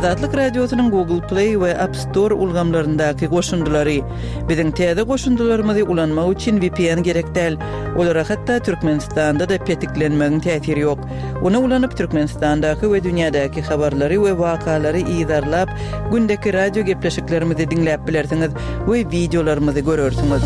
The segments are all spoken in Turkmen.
Azatlyk Radiosynyň Google Play we App Store ulgamlaryndaky goşundylary. Biziň täze goşundylarymyzy ulanmak üçin VPN gerek däl. Olara hatda Türkmenistanda-da petiklenmegiň täsiri ýok. Ony ulanyp Türkmenistandaky we dünýädäki habarlary we wakalary yzarlap, gündeki radio gepleşiklerimizi diňläp bilersiňiz we wideolarymyzy görersiňiz.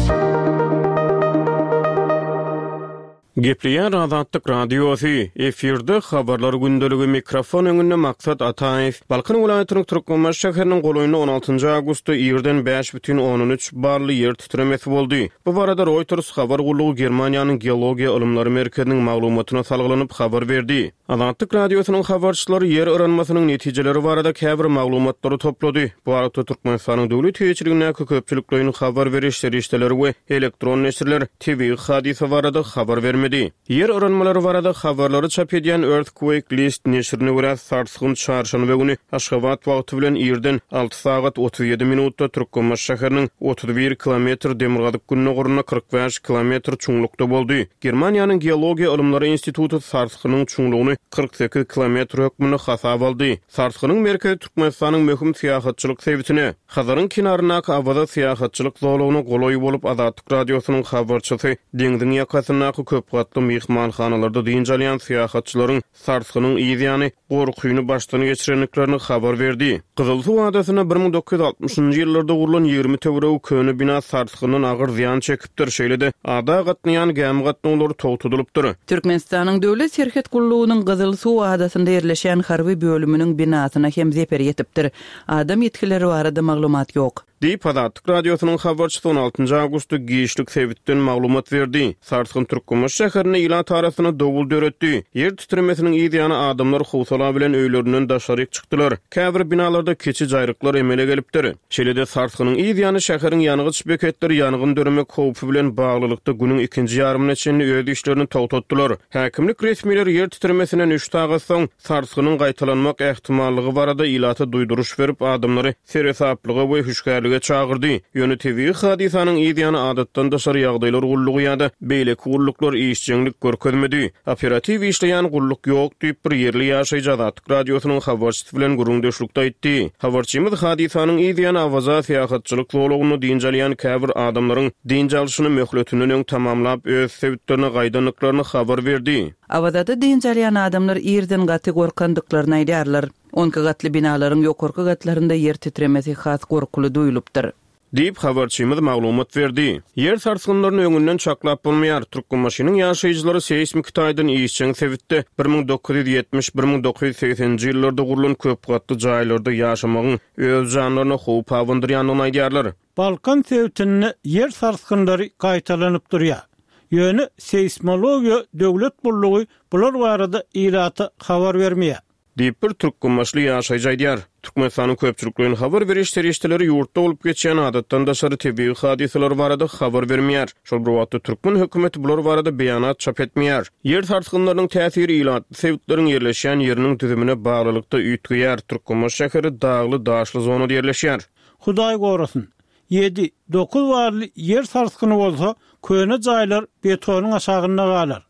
Gepleýär Azatlyk Radiosy, efirde Habarlar gündeligi, mikrofon öňünde Maksat Ataýew. Balkan welaýatynyň Türkmenbaşy şäheriniň golaýynda on altynjy awgustda irden bäş bütin ondan üç bally ýer titremesi boldy. Bu barada Reuters habar gullugy Germaniýanyň Geologiýa ylymlary merkeziniň maglumatyna salgylanyp habar berdi. Azatlyk Radiosynyň habarçylary ýer yranmasynyň netijeleri barada käbir maglumatlary toplady. Bu aralykda, Türkmenistanyň döwlet eýeçiligindäki köpçülikleýin habar beriş serişdeleri we elektron neşirler tebigy hadysa barada habar bermedi. Ýer yranmalary barada habarlary çap edýän Earthquake List neşirine görä, sarsgyn çarşenbe güni Aşgabat wagty bilen irden alty sagat 37 minutda Türkmenbaşy şäheriniň 31 kilometr demirgazyk-gündogarynda 45 kilometr çuňlukda boldy. Germaniýanyň Geologiýa ylymlary instituty sarsgynyň çuňlugyny 48 kilometr hökmünde hasaba aldy. Sarsgynyň merkezi Türkmenistanyň möhüm syýahatçylyk sebitine, Hazaryň kenaryndaky Awaza syýahatçylyk zolagyna golaý bolup, Azatlyk Radiosynyň habarçysy deňziň ýakasyndaky köp gatly myhmanhanalarda dynç alýan syýahatçylaryň sarsgynyň yz ýany gorkyny başdan geçirendiklerini habar berdi. Gyzylsuw adasynda 1960-njy ýyllarda gurlan 20 töweregi köne bina sarsgyndan agyr zyýan çekipdir, şeýle-de ada gatnaýan gämi gatnawlary togtadylypdyr. Türkmenistanyň Döwlet serhet gullugynyň Gyzylsuw adasynda ýerleşýän harby bölüminiň binasyna hem zeper ýetipdir. Adam ýitgileri barada maglumat ýok. Diýip, Azatlyk Radiosynyň habarçysy on altynjy awgustda giçlik sebitden maglumat berdi. Sarsgyn Türkmenbaşy şäherinde ilat arasynda dowul döretdi. Ýer titremesiniň yz ýany adamlar howsala bilen öýlerinden daşaryk çykdylar. Käbir binalarda kiçi jaýryklar emele gelipdir. Şeýle-de sarsgynyň yz ýany şäheriň ýangyç beketleri ýangyn döremek howpy bilen baglylykda günüň ikinji ýarymyna çenli öz işlerini togtatdylar. Häkimlik resmileri ýer titremesinden üç sagat soň, sarsgynyň gaýtalanmak ähtimallygy barada ilata duýduryş berip, adamlary seresaplyga we hüşgärlige çagyrdy. Ýöne tebigy hadysanyň yz ýany adatdan daşary ýagdaýlar gullugy ýa-da beýleki gulluklar işjeňlik görkezmedi. Operatiw işleýän gulluk ýok diýip, bir ýerli ýaşaýjy Azatlyk Radiosynyň habarçysy bilen gürrüňdeşlikde aýtdy. Habarçymyz hadysanyň yz ýany Awaza syýahatçylyk zolagynda dynç alýan käbir adamlaryň dynç alşyny möhletinden öň tamamlap, öz sebitlerine gaýdandyklaryny habar berdi. Awazada dynç alýan adamlar ýerden gaty gorkandyklaryny aýdýarlar. Onki gatly binalaryň ýokarky gatlarynda ýer titremesi has gorkuly duýulypdyr. Diýip, habarçymyz maglumat berdi. Ýer sarsgynlaryny öňünden çaklap bolmaýar. Türkmenbaşynyň ýaşaýjylary seýsmiki taýdan işjeň sebitde 1970, 1980-nji ýyllarda gurlan köp gatly jaýlarda ýaşamagyň öz janlaryna howp abandyrýandygyny aýdýarlar. Balkan sebitinde ýer sarsgynlary gaýtalanyp durýar. Ýöne seýsmologiýa döwlet gullugy bular barada ilata habar bermeýär. Diýip, bir türkmenbaşyly ýaşaýjy aýdýar. Türkmenistanyň köpçülikleýin habar beriş serişdeleri ýurtda bolup geçýän adatdan daşary tebigy hadysalar barada habar bermeýär. Şol bir wagtda, türkmen hökümeti bular barada beýanat çap etmeýär. Ýer sarsgynlarynyň täsiri ilatly sebitleriň ýerleşýän ýeriniň düzümine baglylykda üýtgeýär. Türkmenbaşy şäheri dagly-daşly zonada ýerleşýär. Hudaý gorasyn, ýedi, dokuz barly ýer sarsgyny bolsa, köne jaýlar betonyň aşagynda galar.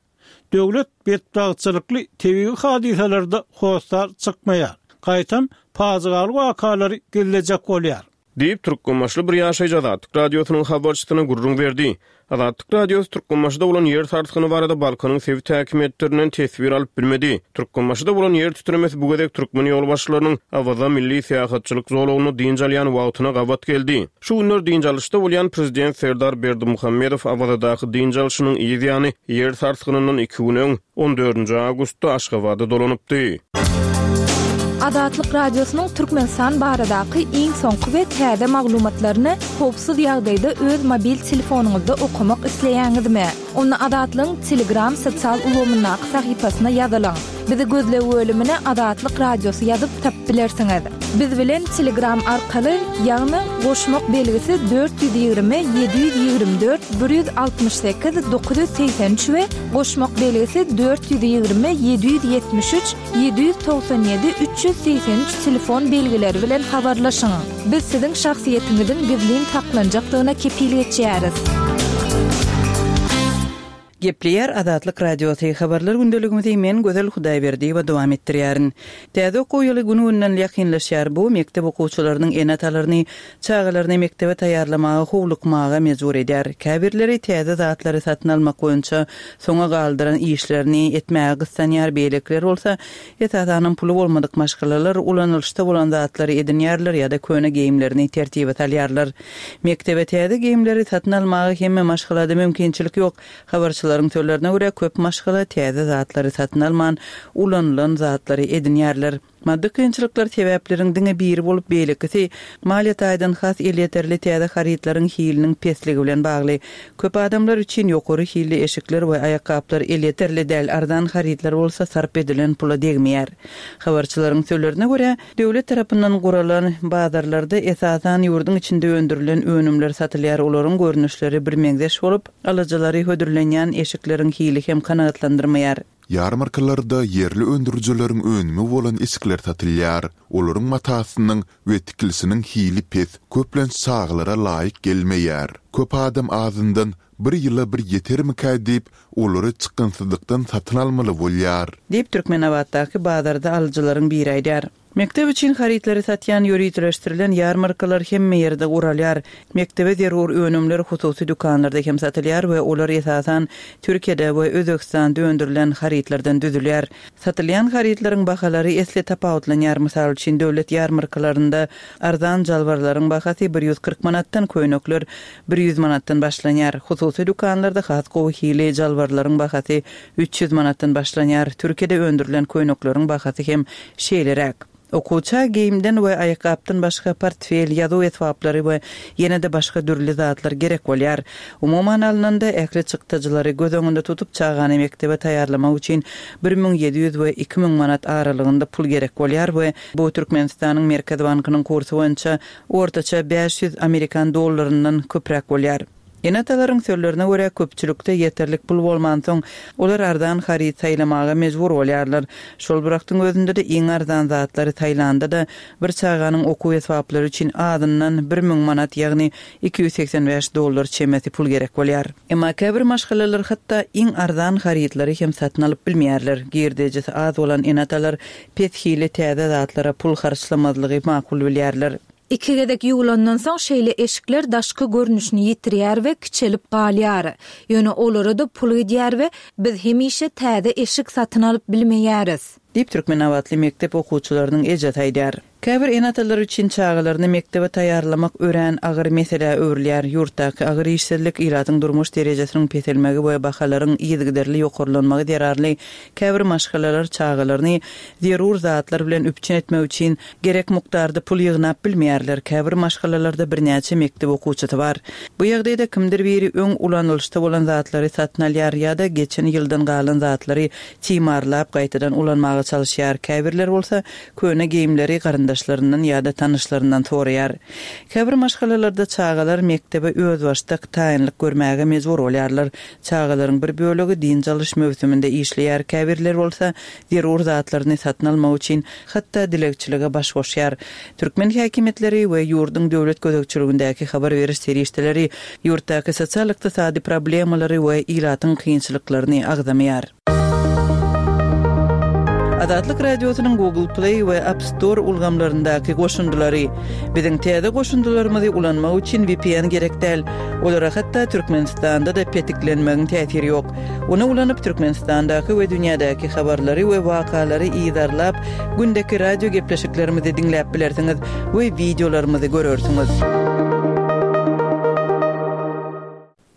Döwlet betbagtçylykly tebigy hadysalarda hossar çykmaýar. Gaýtam, pajygaly wakalary gizlejek bolýar. Diýip, türkmenbaşyly bir ýaşaýjy Azatlyk Radiosynyň habarçysyna gürrüň berdi. Azatlyk Radiosy Türkmenbaşyda bolan ýer sarsgyny barada Balkanyň sebit häkimiýetlerinden teswir alyp bilmedi. Türkmenbaşyda bolan ýer titremesi bu gezek türkmen ýolbaşçylarynyň Awaza milli syýahatçylyk zolagynda dynç alýan wagtyna gabat geldi. Şu günler dynç alyşda bolýan prezident Serdar Berdimuhamedow Awazadaky dynç alşynyň yz ýany ýer sarsgynyndan iki gün öň, on dördünji awgustda Aşgabada dolanypdy. Azatlyk Radiosynyň Türkmenistan baradaky iň soňky we täze maglumatlaryny howpsuz ýagdaýda öz mobil telefonyňyzda okamak isleýäňizmi? Onda Azatlygyň Telegram sosial ulgamyndaky sahypasyna ýazylyň. Bizi gözleg bölümine Azatlyk Radiosy ýazyp tapyp bilersiňiz. Biz bilen Telegram arkaly, ýagny goşmak belgisi 420 724 168 983 we goşmak belgisi 420 773 797 383 telefon belgileri bilen habarlaşyň. Biz siziň şahsyýetiňiziň gizlin saklanjakdygyna kepil geçýäris. Gepleýär Azatlyk Radiosy, Habarlar gündeligimizi men Gözel Hudaýberdiýewa dowam etdirýärin. Täze okuw ýyly gün-günden ýakynlaşýar. Bu mekdep okuwçylarynyň ene-atalaryny çagalaryny mekdebe taýýarlamaga howlukmaga mejbur edýär. Käbirleri täze zatlary satyn almak boýunça soňa galdyran işlerini etmäge gyssanýar, beýlekiler bolsa, esasanam puly bolmadyk maşgalalar ulanylyşda bolan zatlary edinýärler ýa-da köne geýimlerini tertibe salýarlar. Mekdebe täze geýimleri satyn almaga hemme maşgalada mümkinçilik ýok. Habarçylaryň sözlerine görä, köp maşgala täze zatlary satyn alman, ulanylan zatlary edinýärler. Maddy kynçylyklar sebäpleriň diňe biri bolup, beýlekisi maliýe taýdan has elýeterli täze harytlaryň hiliniň pesligi bilen bagly. Köp adamlar üçin ýokary hilli eşikler we aýakgaplar elýeterli däl, arzan harytlar bolsa sarp edilen pula degmeýär. Habarçylaryň sözlerine görä, Döwlet tarapyndan guralan bazarlarda esasan ýurduň içinde öndürilen önümler satylýar, olaryň görnüşleri birmeňzeş bolup, alyjylary hödürlenýän eşikleriň hili hem kanagatlandyrmaýar. Ýarmarkalarda ýerli öndürijileriň önümi bolan eşikler satylýar. Olaryň matasynyň we tikilişiniň hili pes, köplenç çagalara laýyk gelmeýär. Köp adam azyndan bir ýyla bir ýetermikä diýip, olary çykgynsyzlykdan satyn almaly bolýar. Diýip, Türkmenabatdaky bazarda alyjylaryň biri aýdýar. Mekdep üçin harytlary satýan ýöriteleşdirilen ýarmarkalar hemme ýerde guralýar. Mekdebe zerur önümler hususy dükanlarda hem satylýar we olar esasan Türkiýede we Özbegistanda öndürilen harytlardan düzülýär. Satylýan harytlaryň bahalary esli tapawutlanýar. Mysal üçin, döwlet ýarmarkalarynda arzan jalbarlaryň bahasy 140 manatdan, köýnekler 100 manatdan başlanýar. Hususy dükanlarda has gowy hili jalbarlaryň bahasy 300 manatdan başlanýar. Türkiýede öndürilen köýnekleriň bahasy hem şeýleräk. Okuwça geýimden we aýakgapdan başga portfel, ýazuw esbaplary we ýene-de başga dürli zatlar gerek bolýar. Umuman alnanda, ähli çykdajylary göz öňünde tutup, çagany mekdebe taýýarlamak üçin 1700 we 2000 manat aralygynda pul gerek bolýar we bu Türkmenistanyň Merkezi bankynyň kursy boýunça ortaça 500 amerikan dollaryndan köpräk bolýar. Ene-atalaryň sözlerine görä, köpçülikde ýeterlik pul bolmansoň, olar arzan haryt saýlamaga mejbur bolýarlar. Şol bir wagtyň özünde-de iň arzan zatlary saýlanda-da, bir çaganyň okuw esbaplary üçin azyndan 1000 manat, ýagny 285 dollar çemesi pul gerek bolýar. Emma käbir maşgalalar hatda iň arzan harytlary hem satyn alyp bilmeýärler. Girdejisi az bolan ene-atalar pes hili täze zatlara pul harçlamazlygy makul bilýärler. Iki gezek ýuwlandan soň şeýle eşikler daşky görnüşini ýitirýär we kiçelip galýar. Ýöne olara-da pul gidýär we biz hemişe täze eşik satyn alyp bilmeýäris. Diýip, türkmenabatly mekdep okuwçylarynyň ejesi aýdýar. Käbir ene-atalar üçin çagalaryny mekdebe taýýarlamak örän agyr meselä öwrülýär. Ýurtdaky agyr işsizlik, ilatyň durmuş derejesiniň peselmegi we bahalaryň yzygiderli ýokarlanmagy zerarly käbir maşgalalar çagalaryny zerur zatlar bilen üpjün etmek üçin gerek mukdarda pul ýygnap bilmeýärler. Käbir maşgalalarda birnäçe mekdep okuwçysy bar. Bu ýagdaýda kimdir biri öň ulanylyşda bolan zatlary satyn alýar ýa-da geçen ýyldan galan zatlary timarlap gaýtadan ulanmaga çalyşýar, käbirleri bolsa köne geýimleri garyndaşlaryndan ýa-da tanyşlaryndan soraýar. Käbir maşgalalarda çagalar mekdebe özbaşdak taýynlyk görmäge mejbur bolýarlar. Çagalaryň bir bölegi dynç alyş möwsüminde işleýär, käbirleri bolsa zerur zatlaryny satyn almak üçin hatda dilegçilige baş goşýar. Türkmen häkimiýetleri we ýurduň döwlet gözegçiligindäki habar beriş serişdeleri ýurtdaky sosial-ykdysady problemalary we ilatyň kynçylyklaryny agzamaýar. Azatlyk Radiosynyň Google Play we App Store ulgamlaryndaky goşundylary. Biziň täze goşundylarymyzy ulanmak üçin VPN gerek däl. Olara hatda Türkmenistanda-da petiklenmegiň täsiri ýok. Ony ulanyp Türkmenistandaky we dünýädäki habarlary we wakalary yzarlap, gündeki radio gepleşiklerimizi diňläp bilersiňiz we wideolarymyzy görersiňiz.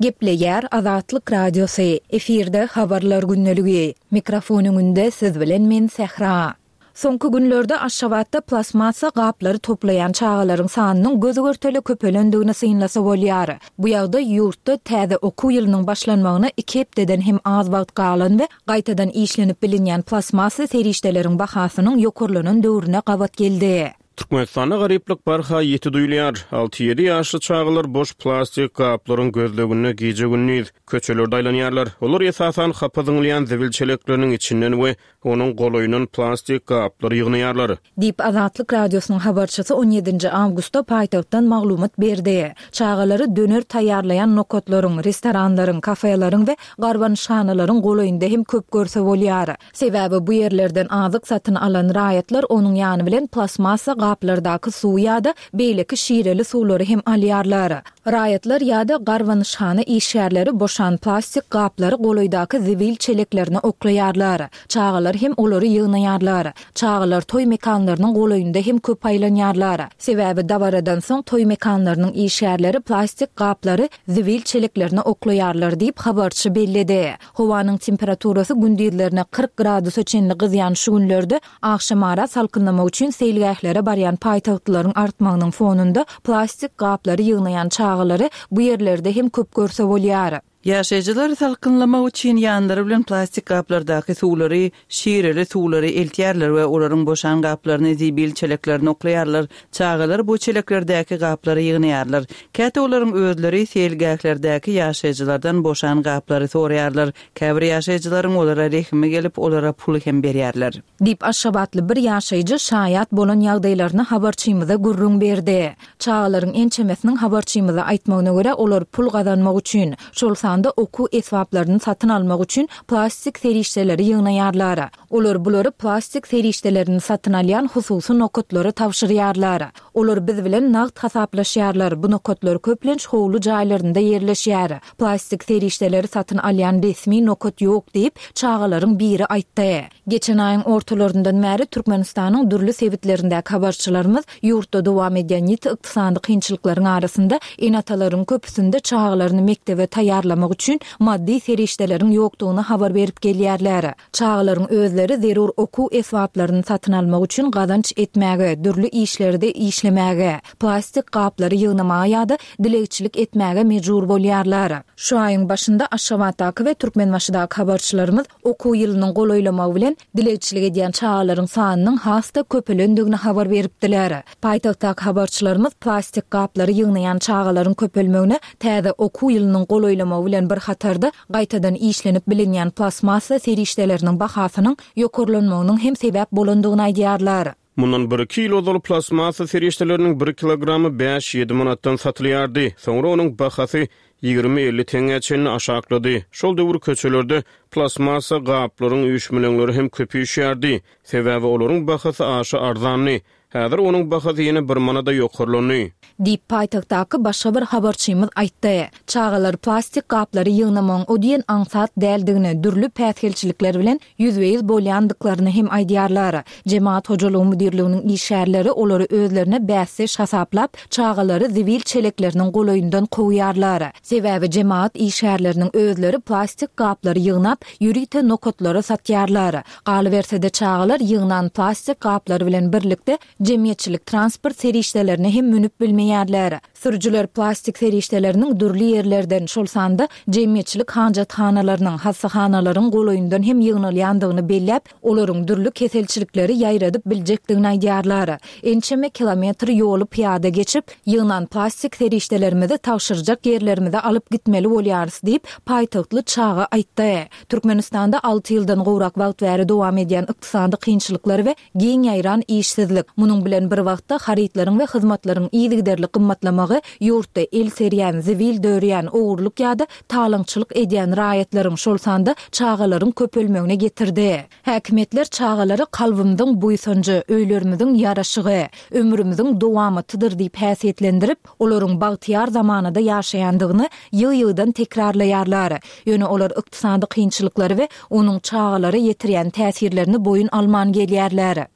Gepleýär Azatlyk Radiosy, efirde Habarlar gündeligi. Mikrofon öňünde siz bilen men Sähra. Soňky günlerde Aşgabatda plastmassa gaplary toplaýan çagalaryň sanynyň göz-görtele köpelendigini synlasa bolýar. Bu ýagdaý ýurtda täze okuw ýylynyň başlanmagyna iki hepdeden hem az wagt galan we gaýtadan işlenip bilinýän plastmassa serişdeleriň bahasynyň ýokarlanan döwrüne gabat geldi. Türkmenistanda garyplyk barha ýiti duýulýar. Alty-ýedi ýaşly çagalar boş plastik gaplaryň gözleginde gije-gündiz köçelerde aýlanýarlar. Olar esasan hapa zyňylýan zibil çelekleriniň içinden we onuň golaýyndan plastik gaplary ýygnaýarlar. Diýip, Azatlyk Radiosynyň habarçysy on ýedinji awgustda paýtagtdan maglumat berdi. Çagalary döner taýýarlaýan nokatlaryň, restoranlaryň, kafeleriň we garbanyşhanalaryň golaýynda hem köp görse bolýar. Sebäbi bu ýerlerden azyk satyn alan raýatlar onuň ýany bilen plastmassa gaplardaky suwy ýa-da beýleki şireli suwlary hem alýarlar. Raýatlar ýa-da garbanyşhana işgärleri boşan plastik gaplary golaýdaky zibil çeleklerine oklaýarlar. Çagalar hem olary ýygnaýarlar. Çagalar toý mekanlarynyň golaýynda hem köp aýlanýarlar. Sebäbi dabaradan soň toý mekanlarynyň işgärleri plastik gaplary zibil çeleklerine oklaýarlar diýip, habarçy belledi. Howanyň temperaturasy gündizlerine 40 gradusa çenli gyzýan şu günlerde agşamara salkynlamak üçin seýilgählere barýan paýtagtlylaryň artmagynyň fonunda plastik gaplary ýygnaýan çagalary bu ýerlerde hem köp görse bolýar. Ýaşaýjylar salkynlamak üçin ýanlary bilen plastik gaplardaky suwlary, şireli suwlary eltýärler we olaryň boşan gaplaryny zibil çeleklerine oklaýarlar. Çagalar bu çeleklerdäki gaplary ýygnaýarlar. Käte olaryň özleri seýilgählerdäki ýaşaýjylardan boşan gaplary soraýarlar. Käbir ýaşaýjylaryň olara rehimi gelip, olara pul hem berýärler. Diýip, aşgabatly bir ýaşaýjy şaýat bolan ýagdaýlaryny habarçymyza gürrüň berdi. Çagalaryň ençemesiniň habarçymyza aýtmagyna görä, olar pul gazanmak üçin, şol sanda okuw esbaplaryny satyn almak üçin plastik serişdeleri ýygnaýarlar. Olar bulary plastik serişdelerini satyn alýan hususy nokatlara tabşyrýarlar. Olar biz bilen nagt hasaplaşýarlar, bu nokatlar köplenç howly jaýlarynda ýerleşýär. Plastik serişdeleri satyn alýan resmi nokat ýok diýip, çagalaryň biri aýtdy. Geçen aýyň ortalaryndan bäri Türkmenistanyň dürli sebitlerindäki habarçylarymyz ýurtda dowam edýän ýiti ykdysady kynçylyklaryň arasynda ene-atalaryň köpüsinde çagalaryny mekdebe taýýarlamak üçin maddy serişdeleriň ýokdugyny habar berip gelýärler. Çagalaryň özleri zerur okuw esbaplaryny satyn almak üçin gazanç etmäge, dürli işlerde işlemäge, plastik gaplary ýygnamaga ýa-da dilegçilik etmäge mejbur bolýarlar. Şu aýyň başynda Aşgabatdaky we Türkmenbaşydaky habarçylarymyz okuw ýylynyň golaýlamagy bilen dilegçilik edýän çagalaryň sanynyň has-da köpelendigini habar beripdiler. Paýtagtdaky habarçylarymyz plastik gaplary ýygnaýan çagalaryň köpelmegine täze okuw ýylynyň golaýlamagy bilen bir hatarda gaýtadan işlenip bilinýän plastmassa serişdeleriniň bahasynyň ýokarlanmagynyň hem sebäp bolandygyny aýdýarlar. Mundan bir-iki ýyl ozal plastmassa serişdeleriniň bir kilogramy bäş-ýedi manatdan satylýardy. Soňra onuň bahasy 20-50 teňňä çenli aşaklady. Şol döwür köçelerde plastmassa gaplaryň üýşmeleňleri hem köp üýşýärdi. Sebäbi olaryň bahasy aşa arzandy. Häzir onuň bahasy ýene bir manada ýokarlandy. Diýip, paýtagtdaky başga bir habarçymyz aýtdy. Çagalar plastik gaplary ýygnamagyň o diýen aňsat däldigini, dürli päsgelçilikler bilen ýüzbe-ýüz bolýandyklaryny hem aýdýarlar. Jemagat hojalygy müdirliginiň işgärleri olary özlerine bäsdeş hasaplap, çagalary zibil çelekleriniň golaýyndan kowýarlar. Sebäbi jemagat işgärleriniň özleri plastik gaplary ýygnap, ýörite nokatlara satýarlar. Galyberse-de, çagalar ýygnan plastik gaplary bilen birlikde jemgyýetçilik transport serişdelerine hem münüp bilmeýärler. Sürüjiler plastik serişdeleriniň dürli ýerlerden, şol sanda jemgyýetçilik hajathanalarynyň, hassahanalaryň golaýyndan hem ýygnalýandygyny belläp, olaryň dürli keselçilikleri ýaýradyp biljekdigini aýdýarlar. Ençeme kilometr ýoly pyýada geçip, ýygnan plastik serişdelerimizi tabşyrjak ýerlerimize alyp gitmeli bolýarys diýip, paýtagtly çaga aýtdy. Türkmenistanda alty ýyldan gowrak wagt bäri dowam edýän ykdysady kynçylyklar we giň ýaýran işsizlik, munuň bilen bir wagtda harytlaryň we hyzmatlaryň yzygiderli gymmatlamagy ýurtda el serýän, zibil dörýän, ogurlyk ýa-da talaňçylyk edýän raýatlaryň, şol sanda çagalaryň köpelmegine getirdi. Häkimiýetler çagalary kalbymyzyň buýsanjy, öýlerimiziň ýaraşygy, ömrümiziň dowamatydyr diýip häsiýetlendirip, olaryň bagtyýar zamanada ýaşaýandygyny ýygy-ýygydan tekrarlaýarlar. Ýöne olar ykdysady kynçylyklary we onuň çagalara ýetirýän täsirlerini boýun alman gelýärler.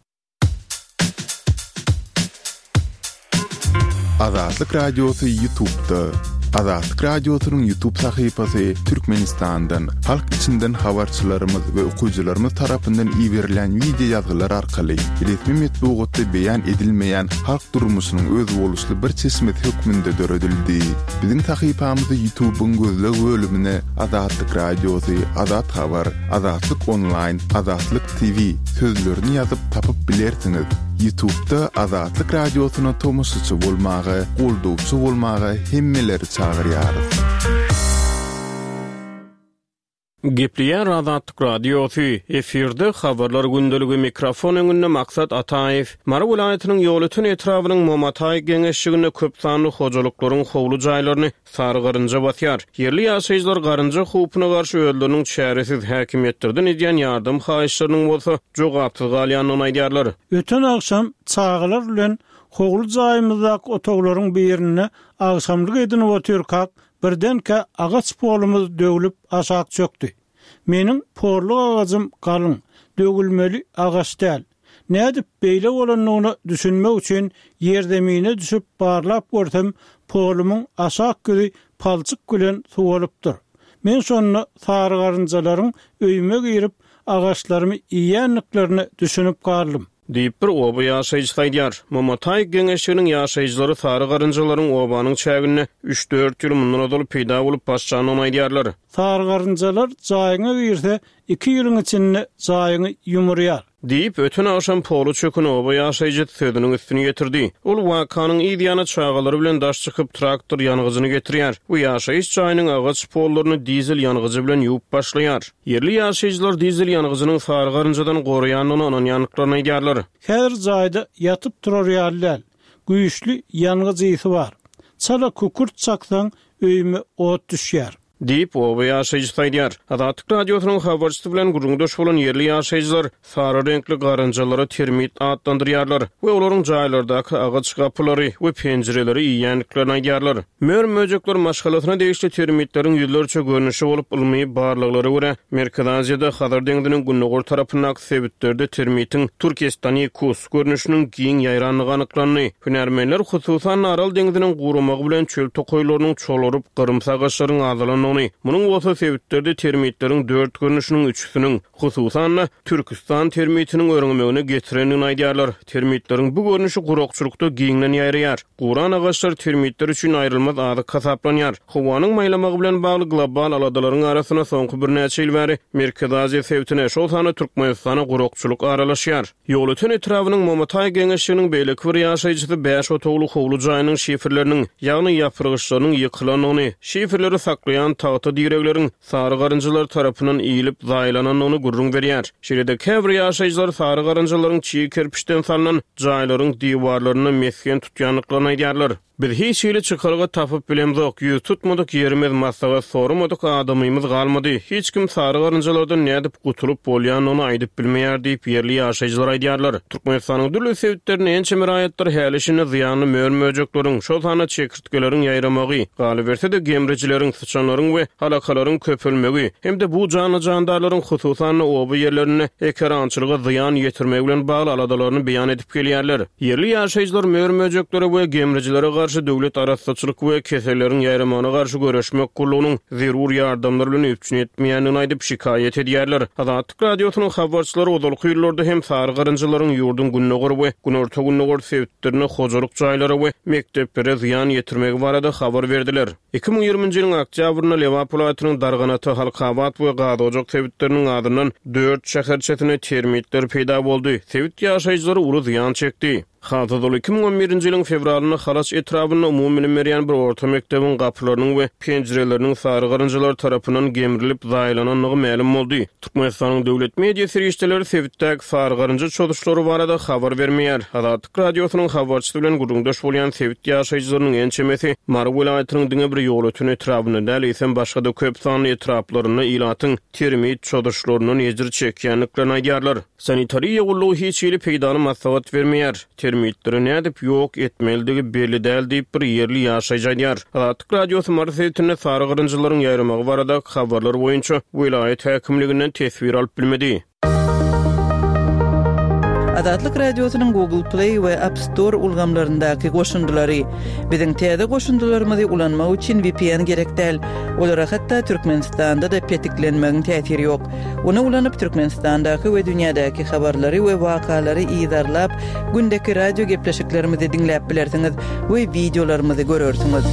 Azatlyk Radiosy Ýutubda. Azatlyk Radiosynyň Ýutub sahypasy Türkmenistandan, halk içinden habarçylarymyz we okyjylarymyz tarapyndan iberilen wideo ýazgylar arkaly resmi metbugatda beýan edilmeýän halk durmuşynyň özboluşly bir çeşmesi hökmünde döredildi. Biziň sahypamyzy Ýutubyň gözleg bölümine Azatlyk Radiosy, Azat Habar, Azatlyk Onlaýn, Azatlyk TV sözlerini ýazyp tapyp bilersiňiz. Ýutubda Azatlyk Radiosyna tomaşaçy bolmaga, goldawçy bolmaga hemmeleri çagyrýarys. Gepleýär Azatlyk Radiosy, efirde Habarlar gündeligi, mikrofon öňünde Maksat Ataýew. Mary welaýatynyň Ýolöten etrabynyň Momataý geňeşliginde köp sanly hojalyklaryň howly jaýlaryny Sary garynja basýar. Ýerli ýaşaýjylar garynja howpuna garşy özleriniň çäresiz, häkimiýetlerden edýän ýardam haýyşlarynyň bolsa jogapsyz galýandygyny aýdýarlar. Öten agşam çagalar bilen howly jaýymyzdaky otaglaryň birinde agşamlyk edinip otyrkak, birdenkä agaç polumyz döwlüp aşak çökdi. Meniň porluk agajym galyň, döwülmeli agaç däl. Nädip beýle bolandygyna düşünmek üçin ýerzemine düşüp barlap görsem, polumyň aşak ýüzi palçyk bilen suwalypdyr. Men şonda sarygarynjalaryň öýüme girip, agaçlarymy iýýändiklerine düşünip galdym. Diýip, bir oba ýaşaýjysy aýdýar. Momataý geňeşliginiň ýaşaýjylary sary garynjalaryň obanyň çäginde üç-dört ýyl mundan ozal peýda bolup başlandygyny aýdýarlar. Sarygarynjalar jaýyňa girse, Iki ýylyň içinde jaýyňy ýumurýar. Diýip, öten agşam poly çöken oba ýaşaýjysy sözüniň üstüni ýetirdi. Ol wakanyň yz ýany çagalary bilen daş çykyp, traktor ýangyjyny getirýär we ýaşaýyş jaýynyň agaç pollaryny dizel ýangyjy bilen ýuwup başlaýar. Ýerli ýaşaýjylar dizel ýangyjynyň sary garynjadan goraýandygyna ynanýandyklaryny aýdýarlar. Häzir jaýda ýatyp-turar ýaly däl. Güýçli ýangyç ysy bar. Çala kükürt çaksaň, öýüme ot düşýär. Diýip, oba ýaşaýjysy aýdýar. Azatlyk Radiosynyň habarçysy bilen gürrüňdeş bolan ýerli ýaşaýjylar sary reňkli garynjalary termit atlandyrýarlar we olaryň jaýlardaky agaç gapylary we penjireleri iýýändiklerini aýdýarlar. Mör-möjekler maşgalasyna degişli termitleriň ýüzlerçe görnüşi bolup, ylmy barlaglara görä, Merkezi Aziýada Hazar deňziniň gündogar tarapyndaky sebitlerde termitiň turkestanikus görnüşiniň giň ýaýrandygy anyklandy. Hünärmenler, hususan-da, Aral deňziniň guramagy bilen çöl tokaýlarynyň çolaryp, gyrymsy agaçlaryň azalandygyny, munuň bolsa sebitlerde termitleriň dört görnüşiniň üçüsiniň, hususan-da, türküstan termitiniň örňemegine getirendigini aýdýarlar. Termitleriň bu görnüşi gurakçylykda giňden ýaýraýar. Guran agaçlar termitler üçin aýrylmaz azyk hasaplanýar. Howanyň maýlamagy bilen bagly global aladalaryň arasynda soňky birnäçe ýyl bäri Merkezi Aziýa sebitine, şol sanda Türkmenistana gurakçylyk aralaşýar. Ýolöten etrabynyň Momataý geňeşliginiň beýleki bir ýaşaýjysy bäş otagly howly jaýynyň şifrleriniň, ýagny ýapyrgyçlarynyň ýykylandygyny, şifrleri saklaýan tagta diregleriň sary garynjalar tarapyndan iýlip zaýalanandygyny gürrüň berýär. Şeýle-de käbir ýaşaýjylar sary garynjalaryň çig kerpiçden salnan jaýlaryň diwarlarynda mesgen tutýandyklaryny aýdýarlar. Biz hiç hili çykalga tapyp bilemzok, ýüz tutmadyk ýerimiz, maslahat soramadyk adamymyz galmady. Hiç kim sary garynjalardan nädip gutulyp bolýandygyny aýdyp bilmeýär diýip, ýerli ýaşaýjylar aýdýarlar. Türkmenistanyň dürli sebitlerinde ençeme raýatlar häli-şindi zyýanly mör-möjekleriň, şol sanda çekirtgeleriň ýaýramagy, galyberse-de gemrijileriň, syçanlaryň we alakalaryň köpelmegi hem-de bu janly-jandarlaryň hususan-da oba ýerlerinde ekerançylyga zyýan ýetirmegi bilen bagly aladalaryny beýan edip gelýärler. Ýerli ýaşaýjylar mör-möjeklere we gemrijilere garşy döwlet arassaçylyk we keselleriň ýaýramagyna garşy göreşmek gullugynyň zerur ýardamlar bilen üpjün etmeýändigini aýdyp, şikaýat edýärler. Azatlyk Radiosynyň habarçylary ozalky ýyllarda hem sary garynjalaryň ýurduň gündogar we günorta-gündogar sebitlerinde hojalyk jaýlara we mekdeplere zyýan ýetirmegi barada habar berdiler. 2020-nji ýylyň oktýabrynda Lebap welaýatynyň Darganata, Halkabat we Gazojak sebitleriniň azyndan dört şäherçesinde termitler peýda boldy. Sebit ýaşaýjylary uly zyýan çekdi. Has ozal 2011-nji ýylyň fewralynda Halaç etrabynda umumybilim berýän bir orta mekdebiň gapylarynyň we penjireleriniň sary garynjalar tarapyndan gemrilip zaýalanandygy mälim boldy. Türkmenistanyň döwlet media serişdeleri sebitdäki sary garynja çozuşlary barada habar bermeýär. Azatlyk Radiosynyň habarçysy bilen gürrüňdeş bolýan sebit ýaşaýjylarynyň ençemesi Mary welaýatynyň diňe bir Ýolöten etrabynda däl, eýsem başga-da köp sanly etraplarynda ilatyň termit çozuşlaryndan ejir çekýändiklerini aýdýarlar. Sanitariýa gullugy hiç hili peýdaly maslahat bermeýär. Termitleri nädip ýok etmelidigi belli däl diýip, bir ýerli ýaşaýjy aýdýar. Azatlyk Radiosy Mary sebitinde sary garynjalaryň ýaýramagy baradaky habarlar boýunça welaýat häkimliginden teswir alyp bilmedi. Azatlyk Radiosynyň Google Play we App Store ulgamlaryndaky goşundylary. Biziň täze goşundylarymyzy ulanmak üçin VPN gerek däl. Olara hatda Türkmenistanda-da petiklenmegiň täsiri ýok. Ony ulanyp, Türkmenistandaky we dünýädäki habarlary we wakalary yzarlap, gündeki radio gepleşiklerimizi diňläp bilersiňiz we wideolarymyzy görersiňiz.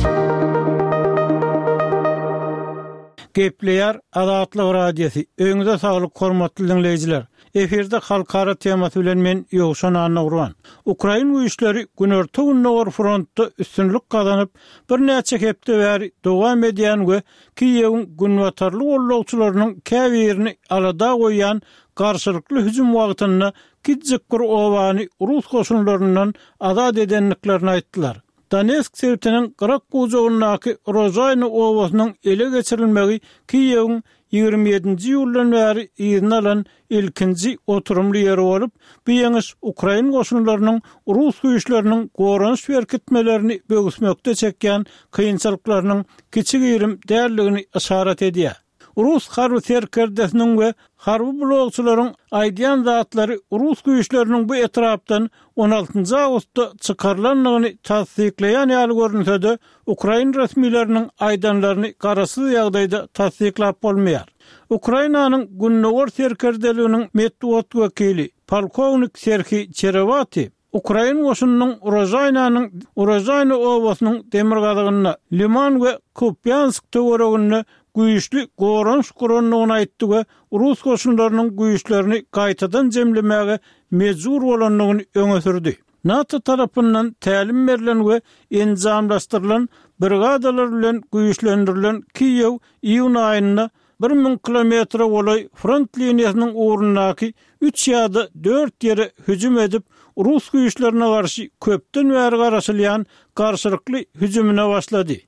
Gepleýär Azatlyk Radiosy, Öýüňize saglyk hormatly diňleýjiler! Efirde halkara temasy bilen men Ýowşan Annagurban. Ukrain güýçleri günorta-gündogar frontda üstünlik gazanyp, birnäçe hepde bäri dowam edýän we Kiýewiň günbatarly gollagçylarynyň käbirini alada goýýan garşylykly hüjüm wagtynda kiçijik bir obany rus goşunlaryndan azat edendiklerini aýtdylar. Donetsk sebitiniň gyrak gujagyndaky Rožaýna obasynyň ele geçirilmegi Kiýewiň 27-nji iýuldan bäri yzyna alan ilkinji oturymly ýeri bolup, bu ýeňiş ukrain goşunlarynyň rus güýçleriniň goranyş berkitmelerini böwüsmekde çekýän kynçylyklarynyň kiçi-girim däldigini yşarat edýär. Rus harby serkerdesiniň we harby blogçylaryň aýdýan zatlary rus güýçleriniň bu etrapdan on altynjy awgustda çykarylandygyny tassyklaýan ýaly görünse-de, ukrain resmileriniň aýdanlaryny garaşsyz ýagdaýda tassyklap bolmaýar. Ukrainanyň Gündogar serkerdeliginiň metbugat wekili, polkownik Serhiý Çerewati, Ukrain goşunynyň Urožaýnanyň Urožaýna obasynyň demirgazygynda, Liman we Kupýansk töwereginde güýçli goranyş gurandygyny aýtdy we rus goşunlarynyň güýçlerini gaýtadan jemlemäge mejbur bolandygyny öňe sürdi. NATO tarapyndan tälim berlen we enjamlaşdyrylan brigadalar bilen güýçlendirilen Kiýew iýun aýynda 1000 kilometre golaý front liniýasynyň ugrundaky üç ýa-da dört ýere hüjüm edip, rus güýçlerine garşy köpden bäri garaşylýan garşylykly hüjümine başlady.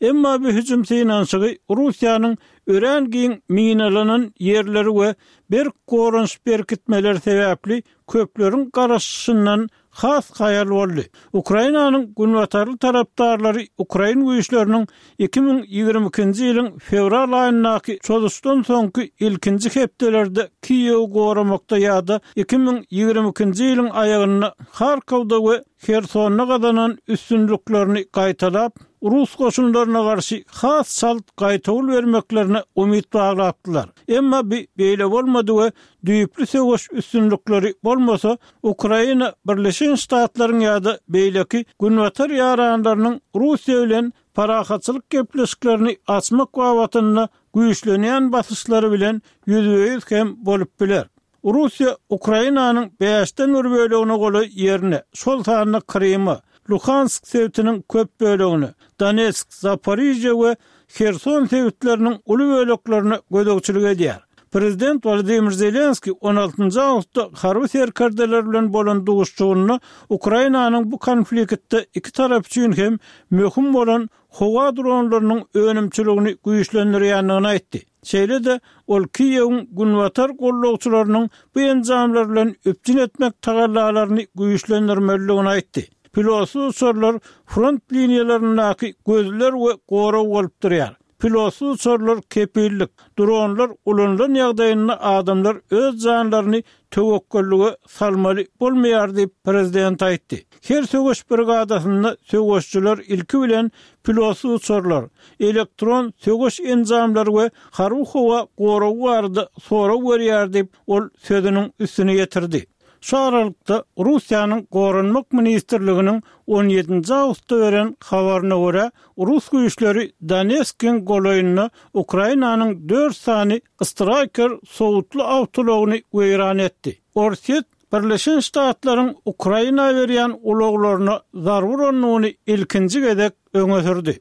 Emma bu hüjüm synanyşygy Russiýanyň örän giň minalanan ýerleri we berk goranyş berkitmeleri sebäpli köpleriň garaşyşyndan has haýal boldy. Ukrainanyň günbatarly tarapdarlary ukrain güýçleriniň 2022-nji ýylyň fewral aýyndaky çozuşdan soňky ilkinji hepdelerde Kiýewi goramakda ýa-da 2022-nji ýylyň aýagynda Harkowda we Hersonda gazanan üstünliklerini gaýtalap, rus goşunlaryna garşy has çalt gaýtawul bermeklerine umyt baglapdylar. Emma bu beýle bolmady we düýpli söweş üstünlikleri bolmasa, Ukraina Birleşen Ştatlaryň ýa-da beýleki Günbatar ýaranlarynyň Russiýa bilen parahatçylyk gepleşiklerini açmak babatynda güýçlenýän basyşlary bilen ýüzbe-ýüz hem bolup biler. Russiýa Ukrainanyň bäşden bir bölegine golaý ýerine, şol sanda Kryma, Luhansk sebitiniň köp bölegine, Donetsk, Zaporižýa we Herson sebitleriniň uly böleklerine gözegçilik edýär. Prezident Wolodymyr Zelenskiý on altynjy awgustda harby serkerdeler bilen bolan duşuşygynda Ukrainanyň bu konfliktde iki tarap üçin hem möhüm bolan howa dronlarynyň önümçiligini güýçlendirýändigini aýtdy. Şeýle-de, ol Kiýewiň günbatar gollagçylarynyň bu enjamlar bilen üpjün etmek tagallalaryny güýçlendirmelidigini aýtdy. Pilotsyz uçarlar front liniýalaryndaky gözler we gorag bolup durýar. Pilotsyz uçarlar kepillik, dronlar ulanylan ýagdaýynda adamlar öz janlaryny töwekgellige salmaly bolmaýar diýip, prezident aýtdy. Her söweş brigadasynda söweşçiler ilki bilen pilotsyz uçarlar, elektron söweş enjamlary we harby-howa goragy barada sorag berýär diýip, ol sözüniň üstüni ýetirdi. Şu aralykda, Russiýanyň Goranmak ministrliginiň on ýedinji awgustda beren habaryna görä, rus güýçleri Donetskiň golaýynda Ukrainanyň dört sany Straýker sowutly awtoulagyny weýran etdi. Orsýet Birleşen Ştatlaryň Ukraina berýän ulaglaryna zarba urandygyny ilkinji gezek öňe sürdi.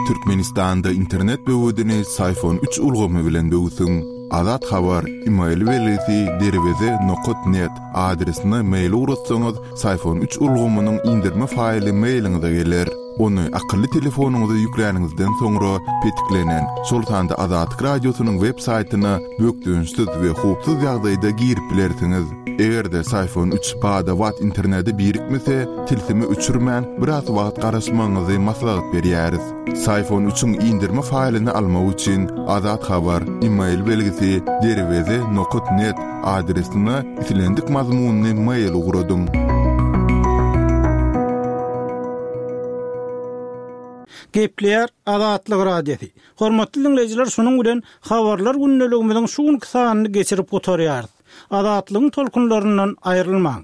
Türkmenistanda internet böwedini Syfon üç ulgamy bilen böwsüň. Azat Habar, email belgisi derweze nokat net adresine mail ugratsaňyz, Syfon üç ulgamynyň indirme faýly mailiňize geler. Ony akylly telefonyňyza ýükläniňizden soňra petiklenen, şol sanda Azatlyk Radiosynyň web saýtyna bökdençsiz we howpsuz ýagdaýda girip bilersiňiz. Eger-de Syfon üç bada-bat internete birikmese, tilsimi öçürmän, biraz wagt garaşmagyňyzy maslahat berýäris. Syfon üçiň indirme faýlyny almak üçin Azat Habar, email belgisi, derweze nokat net adresine islendik mazmunly mail ugradyň. Gepleýär Azatlyk Radiosy. Hormatly diňleýjiler şunuň bilen Habarlar gündeligimiziň şu günki sanyny geçirip gutarýarys. Azatlygyň tolkunlaryndan aýrylmaň!